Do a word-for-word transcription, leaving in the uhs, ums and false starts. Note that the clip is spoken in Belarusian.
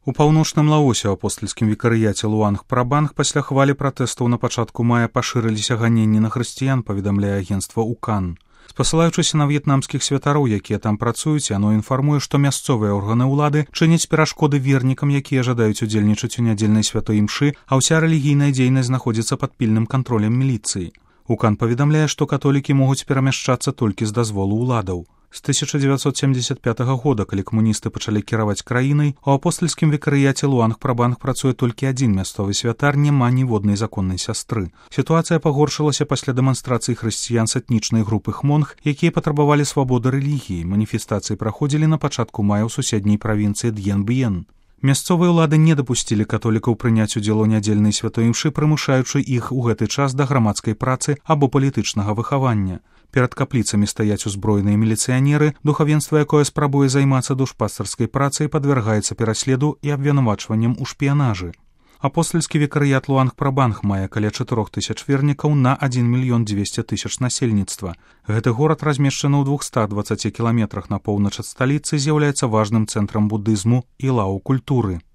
У паўночным Лаосе ў апостальскім вікарыяце Луанг-Прабанг пасля хвалі пратэстаў на пачатку мая пашырыліся ганенні на хрысціян, паведамляе агенцтва УКАН. Спасылаючыся на в'етнамскіх святароў, якія там працуюць, яно інфармуе, што мясцовыя органы ўлады чыняць перашкоды вернікам, якія жадаюць удзельнічаць у нядзельнай святой імшы, а ўся рэлігійная дзейнасць знаходзіцца пад пільным кантролем міліцыі. УКАН паведамляе, што католікі могуць перамяшчацца толькі з дазволу ўладаў. З тысяча дзевяцьсот семдзесят пятага года, калі камуністы пачалі кіраваць краінай, у апостальскім вікарыяце Луанг-Прабанг працуе толькі адзін мясцовы святар, няма ніводнай законнай сястры. Сітуацыя пагоршылася пасля дэманстрацыі хрысціян з этнічнай групы хмонг, якія патрабавалі свабоды рэлігіі. Маніфестацыі праходзілі на пачатку мая ў суседняй правінцыі Д'ен-Б'ен. Мясцовыя ўлады не дапусцілі католікаў прыняць удзел у нядзельнай святой імшы, прымушаючы іх у гэты час да грамадскай працы або палітычнага выхавання. Перад капліцамі стаяць узброеныя міліцыянеры, духавенства, якое спрабуе займацца душпастарскай працай, падвяргаецца пераследу і абвінавачванням у шпіянажы. Апостальскі вікарыят Луанг-Прабанг мае каля чатырох тысяч вернікаў на адзін мільён дзвесце тысяч насельніцтва. Гэты горад размешчаны ў двухстах дваццаці кіламетрах на поўнач ад сталіцы, з'яўляецца важным цэнтрам будызму і лау-культуры.